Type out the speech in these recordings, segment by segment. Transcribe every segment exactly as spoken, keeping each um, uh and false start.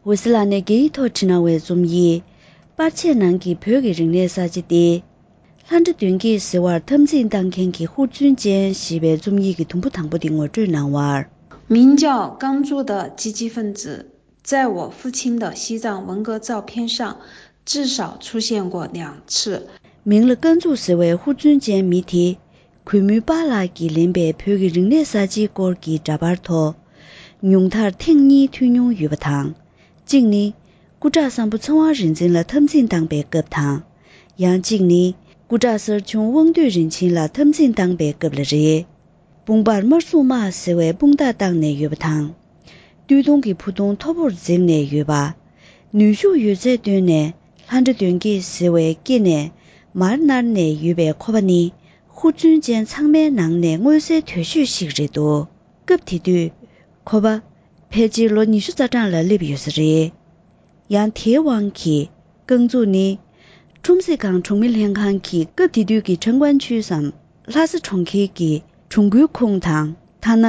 འོད་ཟེར་ལགས་ནས་རྒྱ་ཡིག་ཐོག་བྲིས་གནང་བའི་རྩོམ་ཡིག་པར་ཆས་ནང་གི་བོད་ཀྱི་རིག་གནས་གསར་བརྗེ་སྟེ། ལྷ་འདྲེ་གདོན་བགེགས་ཟེར་བར་འཐབ་འཛིང་བཏང་མཁན་གྱི་ཧུར་བརྩོན་ཅན་ཞེས་པའི་རྩོམ་ཡིག་གི་དུམ་བུ་དང་པོ་དེ་ངོ་སྤྲོད་གནང་བར། 名叫刚珠的积极分子，在我父亲的西藏文革照片上至少出现过两次。 མིང་ལ་རྐང་འཛུགས་ཟེར་བའི་ཧུར་བརྩོན་ཅན་མི་དེ། གུས་མོའི་པཱ་ལགས་ཀྱིས་ལེན་པའི་བོད་ཀྱི་རིག་གནས་གསར་བརྗེའི་སྐོར་གྱི་འདྲ་པར་ཐོག་ཉུང་མཐར་ཐེངས་གཉིས་ཐོན་མྱོང་ཡོད་པ་དང་། གཅིག་ནི། སྐུ་དྲག་བསམ་ཕོ་ཚེ་དབང་རིག་འཛིན་ལ་འཐབ་འཛིང་བཏང་པའི་སྐབས་དང་། ཡང་གཅིག་ནི། སྐུ་དྲག་གསར་བྱུང་དབང་འདུས་རིན་ཆེན་ལ་འཐབ་འཛིང་བཏང་པའི་སྐབས་ལ་རེད། དཔུང་པར་དམར་སྲུང་དམག་ཟེར་བའི་དཔུང་རྟགས་བཏགས་ནས་ཡོད་པ་དང་། སྟོད་ཐུང་གི་ཕུ་ཐུང་མཐོ་པོར་འཛེགས་ནས་ཡོད་པ། ནུས་ཤུགས་ཡོད་ཚད་བཏོན་ནས་ལྷ་འདྲེ་གདོན་བགེགས་ཟེར་བའི་སྐེ་ནས་མར་མནར་ནས་ཡོད་པའི་ཁོ་པ་ནི་ཧུར་བརྩོན་ཅན་ཚང་མའི་ནང་ནས་མངོན་གསལ་དོད་ཤོས་ཤིག་རེད་འདུག་སྐབས་དེ་དུས་ཁོ་པ་ཕལ་ཆེར་ལོ་ཉི་ཤུ་རྩ་གྲངས་ལ་སླེབས་ཡོད་ས་རེད། ཡང་དེའི་དབང་གིས་རྐང་འཛུགས་ནི། ཁྲོམ་གཟིགས་ཁང་གྲོང་མི་ལྷན་ཁང་གི་སྐབས་དེ་དུས་ཀྱི་ཁྲང་ཀོན་ཆུས་སམ་ལྷ་ས་གྲོང་ཁྱེར་གྱི་གྲོང་ཁུལ་ཁོངས་དང་། ཐ་ན་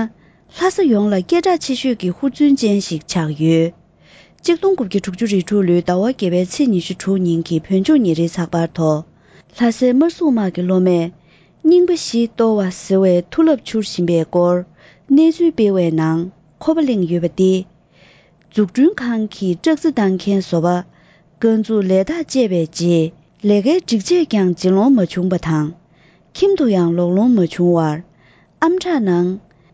ལྷ་ས་ཡོངས་ལ་སྐད་གྲགས་ཆེ་ཤོས་ཀྱི་ཧུར་བརྩོན་ཅན་ཞིག་ཆགས་ཡོད། གཅིག་སྟོང་དགུ་བརྒྱ་དྲུག་ཅུ་རེ་དྲུག་ལོའི་ཟླ་བ་བརྒྱད་པའི་ཚེས་ཉི་ཤུ་དྲུག་ཉིན་གྱི་བོད་ལྗོངས་ཉིན་རེའི་ཚགས་པར་ཐོག་ལྷ་སའི་དམར་སྲུང་དམག་གི་སློབ་མས་རྙིང་པ་བཞི་གཏོར་བ་ཟེར་བའི་མཐུ་རླབས་འཕྱུར་བཞིན་པའི་སྐོར་གནས་ཚུལ་སྤེལ་བའི་ནང་ཁོ་པ་གླེང་ཡོད་པ་སྟེ། འཛུགས་སྐྲུན་ཁང་གི་ཙག་ཙིག་བཏང་མཁན་བཟོ་པ་རྐང་འཛུགས་ལས་ཐག་བཅད་པའི་རྗེས་ལས་ཀའི་སྒྲིག་ཆས་ཀྱང་བརྗེ་ལོང་མ་བྱུང་པ་དང་། ཁྱིམ་དུ་ཡང་ལོག་ལོང་མ་བྱུང་བར་ཨམ་ཕྲག་ནང་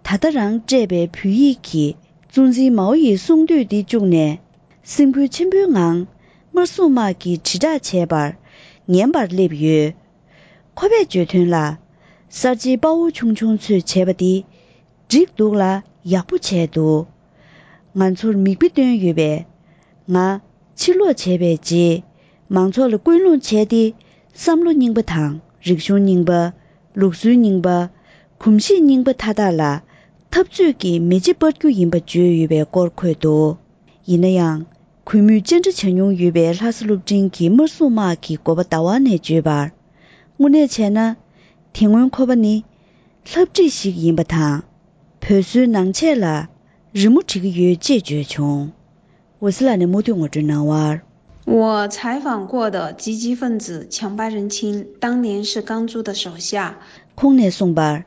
ད་ལྟ་རང་སྤྲད་པའི་བོད་ཡིག་གི་གཙོ་འཛིན་མའོ་ཡི་གསུང་བསྡུས་འདི་བཅུག་ནས་སེམས་འགུལ་ཆེན་པོའི་ངང་དམར་སྲུང་དམག་གིས་དྲིལ་བསྒྲགས་བྱས་པར་ཉན་པར་སླེབས་ཡོད། ཁོ་པས་བརྗོད་དོན་ལ། གསར་བརྗེའི་དཔའ་བོ་ཆུང་ཆུང་ཚོས་བྱས་པ་འདི་འགྲིག་འདུག་ལ་ཡག་པོ་བྱས་འདུག་ང་ཚོར་མིག་དཔེ་སྟོན་ཡོད་པས། ང་ཕྱིར་ལོག་བྱས་པའི་རྗེས་མང་ཚོགས་ལ་སྐུལ་སློང་བྱས་ཏེ་བསམ་བློ་རྙིང་པ་དང་རིག་གཞུང་རྙིང་པ། ལུགས་སྲོལ་རྙིང་པ། གོམས་གཤིས་རྙིང་པ་མཐའ་དག་ལ་འཐབ་རྩོད་ཀྱི་མེ་ལྕེ་སྤར་རྒྱུ་ཡིན་པ་བརྗོད་ཡོད་པའི་སྐོར་འཁོད་འདུག་ཡིན་ན་ཡང་། གུས་མོས་བཅར་འདྲི་བྱ་མྱོང་ཡོད་པའི་ལྷ་ས་སློབ་འབྲིང་གི་དམར་སྲུང་དམག་གི་འགོ་པ་ཟླ་བ་ནས་བརྗོད་པར། དངོས་གནས་བྱས་ན། དེ་སྔོན་ཁོ་པ་ནི་ལྷ་བྲིས་ཤིག་ཡིན་པ་དང་། བོད་བཟོའི་ནང་ཆས་ལ་རི་མོ་འབྲི་གི་ཡོད་ཅེས་བརྗོད་བྱུང་། འོད་ཟེར་ལགས་ནས་མུ་མཐུད་ངོ་སྤྲོད་གནང་བར། 我采访过的积极分子强巴仁青当年是刚珠的手下。 ཁོང་ནས་གསུངས་པར།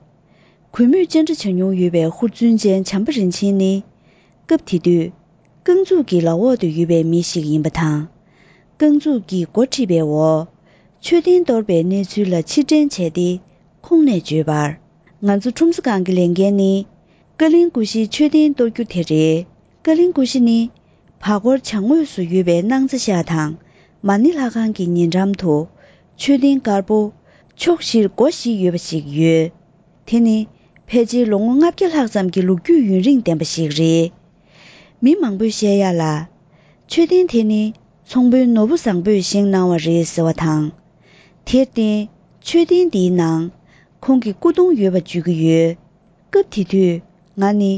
གུས་མོས་བཅར་འདྲི་བྱ་མྱོང་ཡོད་པའི་ཧུར་བརྩོན་ཅན་བྱམས་པ་རིན་ཆེན་ནི། སྐབས་དེ་དུས། རྐང་འཛུགས་ཀྱི་ལག་འོག་ཏུ་ཡོད་པའི་མི་ཞིག་ཡིན་པ་དང་། རྐང་འཛུགས་ཀྱིས་འགོ་ཁྲིད་པའི་འོག་མཆོད་རྟེན་གཏོར་པའི་གནས་ཚུལ་ལ་ཕྱིར་དྲན་བྱས་ཏེ། ཁོང་ནས་བརྗོད་པར། ང་ཚོ་ཁྲོམ་ས་སྒང་གི་ལས་འགན་ནི། ཀ་ལིང་ཀུ་ཤིའི་མཆོད་རྟེན་གཏོར་རྒྱུ་དེ་རེད། ཀ་ལིང་ཀུ་ཤི་ནི། བར་སྐོར་བྱང་ངོས་སུ་ཡོད་པའི་སྣང་རྩེ་ཤག་དང་མ་ཎི་ལྷ་ཁང་གི་ཉེ་འགྲམ་དུ་མཆོད་རྟེན་དཀར་པོ་ཕྱོགས་བཞིར་སྒོ་བཞི་ཡོད་པ་ཞིག་ཡོད། དེ་ནི་ཕལ་ཆེར་ལོ་ངོ་ལྔ་བརྒྱ་ལྷག་ཙམ་གྱི་ལོ་རྒྱུས་ཡུན་རིང་ལྡན་པ་ཞིག་རེད། མི་མང་པོས་བཤད་ཡ་ལ། མཆོད་རྟེན་དེ་ནི་ཚོང་དཔོན་ནོར་བུ་བཟང་པོས་བཞེངས་གནང་བ་རེད་ཟེར་བ་དང་། དེར་བརྟེན་མཆོད་རྟེན་འདིའི་ནང་ཁོང་གི་སྐུ་གདུང་ཡོད་པ་བརྗོད་ཀྱི་ཡོད། སྐབས་དེ་དུས་ང་ནི་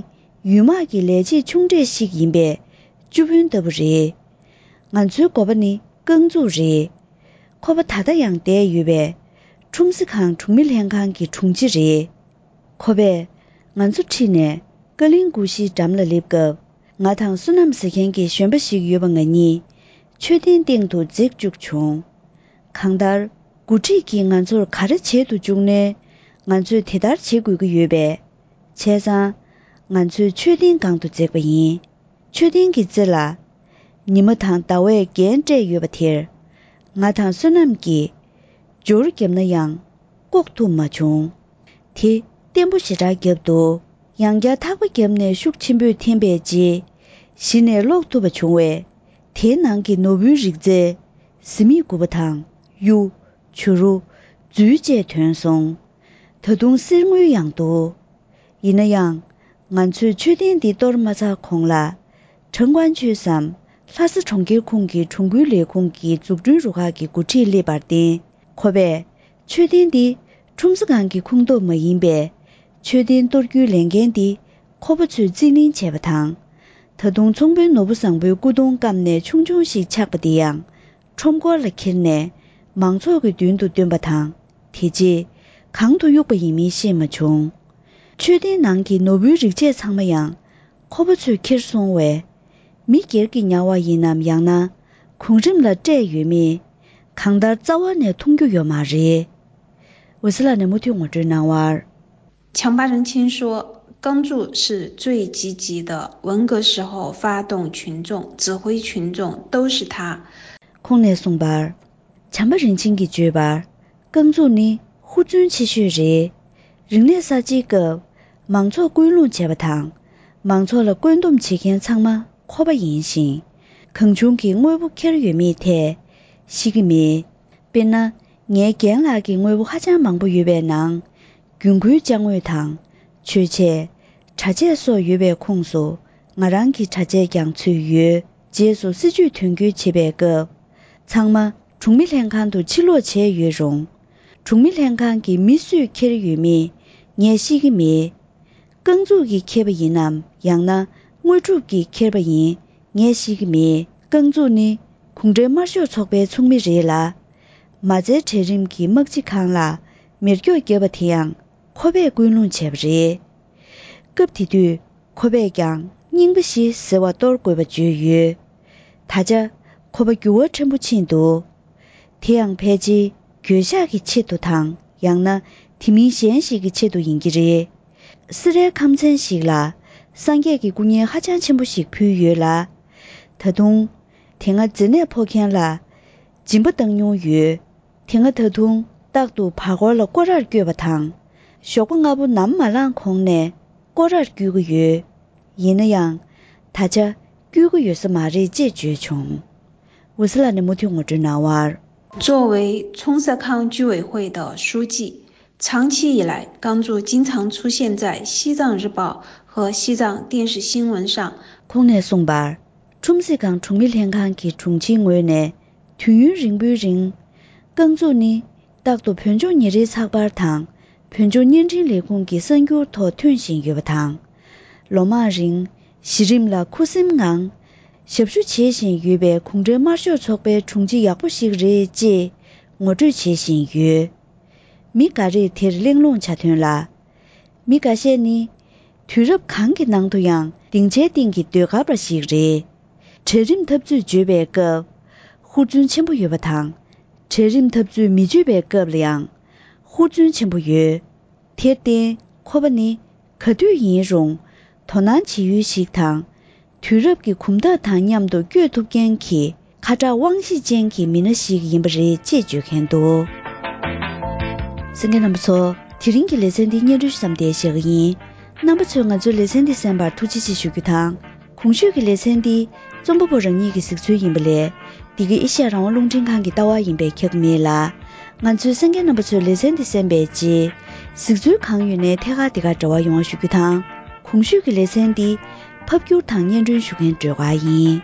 ཡུལ་དམག་གི་ལས་བྱེད་ཆུང་གྲས་ཤིག་ཡིན་པས་བཅུ་དཔོན་ལྟ་བུ་རེད། ང་ཚོའི་འགོ་པ་ནི་རྐང་འཛུགས་རེད། ཁོ་པ་ད་ལྟ་ཡང་བསྡད་ཡོད་པས་ཁྲོམ་གཟིགས་ཁང་གྲོང་མི་ལྷན་ཁང་གི་དྲུང་ཆེ་རེད། ཁོ་པས་ང་ཚོ་ཁྲིད་ནས་ཀ་ལིང་ཀུ་ཤིའི་འགྲམ་ལ་སླེབས་སྐབས་ང་དང་བསོད་ནམས་ཟེར་མཁན་གྱི་གཞོན་པ་ཞིག་ཡོད་པ་ང་གཉིས་མཆོད་རྟེན་སྟེང་དུ་འཛེགས་བཅུག་བྱུང་། གང་ལྟར་འགོ་ཁྲིད་ཀྱིས་ང་ཚོར་ག་རེ་བྱེད་དུ་བཅུག་ནའི་ང་ཚོས་དེ་ལྟར་བྱེད་དགོས་ཀྱི་ཡོད་པས། བྱས་ཙང་། ང་ཚོས་མཆོད་རྟེན་སྒང་དུ་འཛེགས་པ་ཡིན། མཆོད་རྟེན་གྱི་རྩེ་ལ། ཉི་མ་དང་ཟླ་བས་རྒྱན་སྤྲས་ཡོད་པ་དེར། ང་དང་བསོད་ནམས་ཀྱིས། སྦྱོར་བརྒྱབ་ན་ཡང་། བཀོག་ཐུབ་མ་བྱུང་། དེ་བརྟན་པོ་ཞེ་དྲག་བརྒྱབ་འདུག་ཡང་བསྐྱར་ཐག་པ་བརྒྱབ་ནས་ཤུགས་ཆེན་པོས་འཐེན་པའི་རྗེས། གཞི་ནས་སློག་ཐུབ་པ་བྱུང་བས། དེའི་ནང་གི་ནོར་བུའི་རིགས་རྫས། གཟི་མིག་དགུ་པ་དང་། གཡུ། བྱུ་རུ། རྫུས་བཅས་ཐོན་སོང་། ད་དུང་གསེར་དངུལ་ཡང་འདུག་ཡིན་ན་ཡང་། ང་ཚོས་མཆོད་རྟེན་འདི་གཏོར་མ་ཚར་གོང་ལ། ཁྲང་ཀོན་ཆུས་སམ། ལྷ་ས་གྲོང་ཁྱེར་ཁོངས་ཀྱི་གྲོང་ཁུལ་ལས་ཁུངས་ཀྱི་འཛུགས་སྐྲུན་རུ་ཁག་གི་འགོ་ཁྲིད་སླེབས་པར་བརྟེན། ཁོ་པས། མཆོད་རྟེན་འདི་ཁྲོམ་ས་སྒང་གི་ཁོངས་གཏོགས་མ་ཡིན་པས། མཆོད་རྟེན་གཏོར་རྒྱུའི་ལས་འགན་འདི་ཁོ་པ་ཚོས་རྩིས་ལེན་བྱས་པ་དང་། ད་དུང་ཚོང་དཔོན་ནོར་བུ་བཟང་པོའི་སྐུ་གདུང་བསྐམས་ནས་ཆུང་ཆུང་ཞིག་ཆགས་པ་འདི་ཡང་ཁྲོམ་སྐོར་ལ་འཁྱེར་ནས་མང་ཚོགས་ཀྱི་མདུན་དུ་བཏོན་པ་དང་། དེ་རྗེས་གང་དུ་གཡུགས་པ་ཡིན་མིན་ཤེས་མ་བྱུང་། མཆོད་རྟེན་ནང་གི་ནོར་བུའི་རིགས་ཆད་ཚང་མ་ཡང་ཁོ་པ་ཚོས་ཁྱེར་སོང་བས། མི་སྒེར་གྱི་ཉར་བ་ཡིན་ནམ་ཡང་ན་གོང་རིམ་ལ་སྤྲད་ཡོད་མེད་གང་ལྟར་རྩ་བ་ནས་མཐོང་རྒྱུ་ཡོད་མ་རེད། འོད་ཟེར་ལགས་ནས་མུ་མཐུད་ངོ་སྤྲོད་གནང་བར། 强巴仁清说，耕助是最积极的，文革时候发动群众、指挥群众都是他。 ཁོང་ནས་གསུངས་པར། བྱམས་པ་རིན་ཆེན་གྱིས་བརྗོད་པར། རྐང་འཛུགས་ནི་ཧུར་བརྩོན་ཆེ་ཤོས་རེད། རིག་གནས་གསར་བརྗེའི་སྐབས། མང་ཚོགས་སྐུལ་སློང་བྱས་པ་དང་། མང་ཚོགས་ལ་བཀོད་འདོམས་བྱེད་མཁན་ཚང་མ་ཁོ་པ་ཡིན་ཞིང་། གང་བྱུང་གི་དངོས་པོ་འཁྱེར་ཡོད་མེད་ཐད། ཤེས་ཀྱི་མེད། དཔེར་ན། ངའི་རྒན་ལགས་ཀྱི་དངོས་པོ་ཧ་ཅང་མང་པོ་ཡོད་པའི་ནང་། རྒྱུན་མཁོའི་ཅ་དངོས་དང་། མཆོད་ཆས། གྲྭ་ཆས་སོགས་ཡོད་པའི་ཁོངས་སུ། ང་རང་གི་གྲྭ་ཆས་ཀྱང་ཚུད་ཡོད། རྗེས་སུ་སྲིད་ཇུས་དོན་འཁྱོལ་བྱེད་པའི་སྐབས། ཚང་མ་གྲོང་མི་ལྷན་ཁང་དུ་ཕྱིར་ལོག་བྱས་ཡོད་རུང་། གྲོང་མི་ལྷན་ཁང་གི་མི་སུས་འཁྱེར་ཡོད་མེད་ངས་ཤེས་ཀྱི་མེད། རྐང་འཛུགས་ཀྱིས་འཁྱེར་པ་ཡིན་ནམ་ཡང་ན་དངོས་སྒྲུབ་ཀྱིས་འཁྱེར་པ་ཡིན་ངས་ཤེས་ཀྱི་མེད། རྐང་འཛུགས་ནི་གུང་ཁྲན་དམར་ཤོག་ཚོགས་པའི་ཚོགས་མི་རེད་ལ། མ་རྩའི་གྲལ་རིམ་གྱི་དམག་སྤྱི་ཁང་ལ་མེ་སྒྱོགས་བརྒྱབ་པ་དེ་ཡང་ཁོ་པས་སྐུལ་སློང་བྱས་པ་རེད། སྐབས་དེ་དུས་ཁོ་པས་ཀྱང་རྙིང་པ་བཞི་ཟེར་བ་གཏོར་དགོས་པ་བརྗོད་ཡོད། ད་ཆ་ཁོ་པ་འགྱུར་བ་ཕྲན་བུ་ཕྱིན་འདུག་དེ་ཡང་ཕལ་ཆེར་འགྱོད་བཤགས་ཀྱི་ཆེད་དུ་དང་ཡང་ན་དེ་མིན་གཞན་ཞིག་གི་ཆེད་དུ་ཡིན་གྱི་རེད། སེ་རའི་ཁམས་ཚན་ཞིག་ལ་སངས་རྒྱས་ཀྱི་སྐུ་བརྙན་ཧ་ཅང་ཆེན་པོ་ཞིག་ཕུལ་ཡོད་ལ། ད་དུང་། དེ་སྔ་མཛེ་ནད་ཕོག་མཁན་ལ་སྦྱིན་པ་བཏང་མྱོང་ཡོད། དེ་སྔ་ད་དུང་རྟག་ཏུ་བར་སྐོར་ལ་སྐོར་རར་བསྐྱོད་པ་དང་། ཞོགས་པ་སྔ་པོ་ནམ་མ་ལངས་གོང་ནས་སྐོར་རར་བསྐྱོད་ཀྱི་ཡོད། ཡིན་ན་ཡང་། ད་ཆ་བསྐྱོད་ཀྱི་ཡོད་ས་མ་རེད་ཅེས་བརྗོད་བྱུང་། འོད་ཟེར་ལགས་ནས་མུ་མཐུད་ངོ་སྤྲོད་གནང་བར། 作为冲萨康居委会的书记，长期以来，刚柱经常出现在西藏日报和西藏电视新闻上。 ཁོང་ནས་གསུངས་པར། ཁྲོམ་སི་ཁང་གྲོང་མི་ལྷན་ཁང་གི་དྲུང་ཆེའི་ངོས་ནས་དུས་ཡུན་རིང་པོའི་རིང་། རྐང་འཛུགས་ནི་རྟག་ཏུ་བོད་ལྗོངས་ཉིན་རེའི་ཚགས་པར་དང་བོད་ལྗོངས་བརྙན་འཕྲིན་ལས་ཁུངས་ཀྱི་གསར་འགྱུར་ཐོག་ཐོན་བཞིན་ཡོད་པ་དང་། ལོ་མང་རིང་གཞི་རིམ་ལ་ཁུ་སིམ་ངང་ཞབས་ཞུ་བྱེད་བཞིན་ཡོད་པའི་གུང་ཁྲན་དམར་ཤོག་ཚོགས་པའི་དྲུང་ཆེ་ཡག་པོ་ཞིག་རེད་ཅེས་ངོ་སྤྲོད་བྱེད་བཞིན་ཡོད། མི་འགའ་རེས་དེར་གླེང་སློང་བྱ་དོན་ལ། མི་འགའ་ཤས་ནི། དུས་རབས་གང་གི་ནང་དུ་ཡང་སྡིངས་ཆའི་སྟེང་གི་ཟློས་གར་པ་ཞིག་རེད། གྲལ་རིམ་འཐབ་རྩོད་བརྗོད་པའི་སྐབས། ཧུར་བརྩོན་ཆེན་པོ་ཡོད་པ་དང་། གྲལ་རིམ་འཐབ་རྩོད་མི་བརྗོད་པའི་སྐབས་ལ་ཡང་། ཧུར་བརྩོན་ཆེན་པོ་ཡོད། དེར་བརྟེན་ཁོ་པ་ནི་ག་དུས་ཡིན་རུང་དོ་སྣང་བྱེད་ཡུལ་ཞིག་དང་། དུས་རབས་ཀྱི་གོམ་སྟབས་དང་མཉམ་དུ་བསྐྱོད་ཐུབ་མཁན་གྱི་ཁ་གྲག་དབང་ཤེད་ཅན་གྱི་མི་སྣ་ཞིག་ཡིན་པ་རེད་ཅེས་བརྗོད་མཁན་འདུག་གསན་མཁན་རྣམ་པ་ཚོ། དེ་རིང་གི་ལེ་ཚན་འདི་སྙན་སྒྲོན་ཞུ་མཚམས་འདིར་བཞག་གི་ཡིན། རྣམ་པ་ཚོས་ང་ཚོའི་ལེ་ཚན་འདི་གསན་པར་ཐུགས་རྗེ་ཆེ་ཞུ་རྒྱུ་དང་། གོང་ཞུས་ཀྱི་ལེ་ཚན་འདི་རྩོམ་པ་པོ་རང་ཉིད་ཀྱི་གཟིགས་ཚུལ་ཡིན་པ་ལས། འདི་ག་ཨེ་ཤ་ཡ་རང་དབང་རླུང་འཕྲིན་ཁང་གི་ལྟ་བ་ཡིན་པས་ཁྱབ་མེད་ལ། ང་ཚོའི་གསན་མཁན་རྣམ་པ་ཚོས་ལེ་ཚན་འདི་གསན་པའི་རྗེས། གཟིགས་ཚུལ་གང་ཡོད་ནས་ཐད་ཀར་འདི་གར་འབྲེལ་བ་ཡོང་བ་ཞུ་རྒྱུ་དང་། གོང་ཞུས་ཀྱི་ལེ་ཚན་འདི་ཕབ་སྒྱུར་དང་སྙན་སྒྲོན་ཞུ་མཁན་སྒྲོལ་དཀར་ཡིན།